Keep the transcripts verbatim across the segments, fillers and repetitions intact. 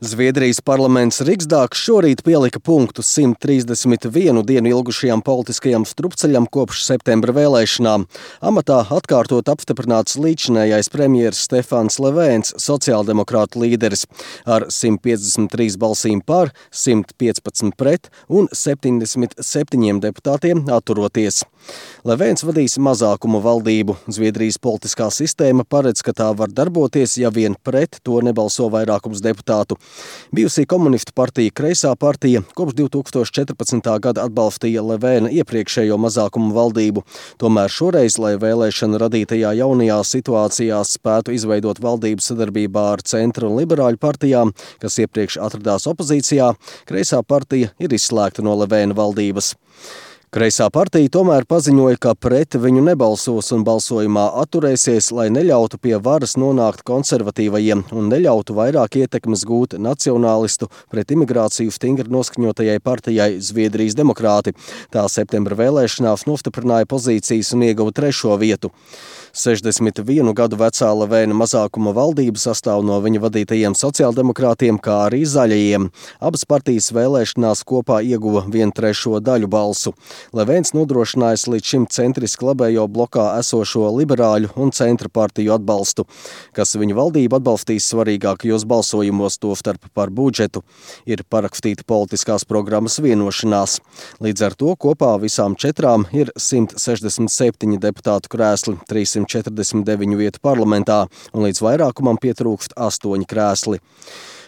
Zviedrijas parlaments Riksdāgs šorīt pielika punktu simt trīsdesmit vienu dienu ilgušajam politiskajam strupceļam kopš septembra vēlēšanām. Amatā atkārtot apstiprināts līdzinājais premjers Stefans Löfvens, sociāldemokrātu līderis, ar simt piecdesmit trīs balsīm par, simt piecpadsmit pret un septiņdesmit septiņiem deputātiem atturoties. Löfvens vadīs mazākumu valdību. Zviedrijas politiskā sistēma paredz, ka tā var darboties, ja vien pret to nebalso vairākums deputātu. Bijusī komunistu partija Kreisā partija kopš divi tūkstoši četrpadsmitā gada atbalstīja Löfvena iepriekšējo mazākumu valdību. Tomēr šoreiz, lai vēlēšanu radītajā jaunajā situācijā spētu izveidot valdību sadarbībā ar centra un liberāļu partijām, kas iepriekš atradās opozīcijā, Kreisā partija ir izslēgta no Löfvena valdības. Kreisā partija tomēr paziņoja, ka pret viņu nebalsos un balsojumā atturēsies, lai neļautu pie varas nonākt konservatīvajiem un neļautu vairāk ietekmes gūt nacionālistu pret imigrāciju stingri noskaņotajai partijai Zviedrijas demokrāti. Tā septembra vēlēšanās nostiprināja pozīcijas un ieguva trešo vietu. sešdesmit vienu gadu vecā Löfvena mazākuma valdība sastāv no viņa vadītajiem sociāldemokrātiem, kā arī zaļajiem. Abas partijas vēlēšanās kopā ieguva vienu trešo daļu balsu. Löfvens nodrošinājis līdz šim centriski labējo blokā esošo liberāļu un centra partiju atbalstu, kas viņu valdību atbalstīs svarīgākajos balsojumos, tostarp par budžetu. Ir parakstīta politiskās programmas vienošanās. Līdz ar to kopā visām četrām ir simt sešdesmit septiņi deputātu krēsli, trīssimt četrdesmit deviņu vietu parlamentā, un līdz vairākumam pietrūkst astoņi krēsli.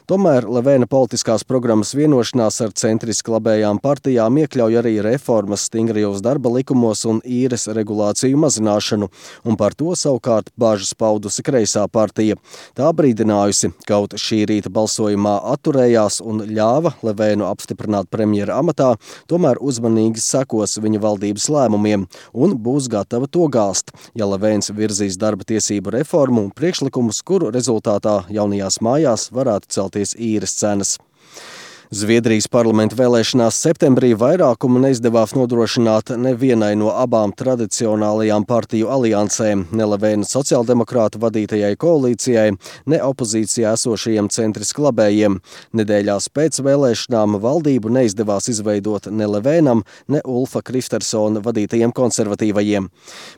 Tomēr Löfvena politiskās programmas vienošanās ar centriski labējām partijām iekļauj arī reformas stingrajos darba likumos un īres regulāciju mazināšanu, un par to savukārt bāžas paudusi Kreisā partija. Tā brīdinājusi, kaut šī rīta balsojumā atturējās un ļāva Löfvenu apstiprināt premjera amatā, tomēr uzmanīgi sekos viņa valdības lēmumiem un būs gatava to gāzt, ja Löfvens virzīs darba tiesību reformu un priekšlikumus, kuru rezultātā jaunajās mājās varētu celt īres cenas. Zviedrijas parlamenta vēlēšanās septembrī vairākumu neizdevās nodrošināt nevienai no abām tradicionālajām partiju aliansēm, ne Löfvena sociāldemokrātu vadītajai koalīcijai, ne opozīcijā esošajiem centriski labējiem. Nedēļās pēc vēlēšanām valdību neizdevās izveidot ne Löfvenam, ne Ulfa Kristersona vadītajiem konservatīvajiem.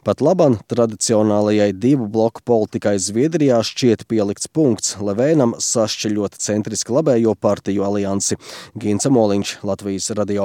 Pat laban tradicionālajai divu bloku politikai Zviedrijā šķiet pielikts punkts Löfvenam sašķeļot centriski labējo partiju aliansi. Gints Moliņš, Latvijas radio.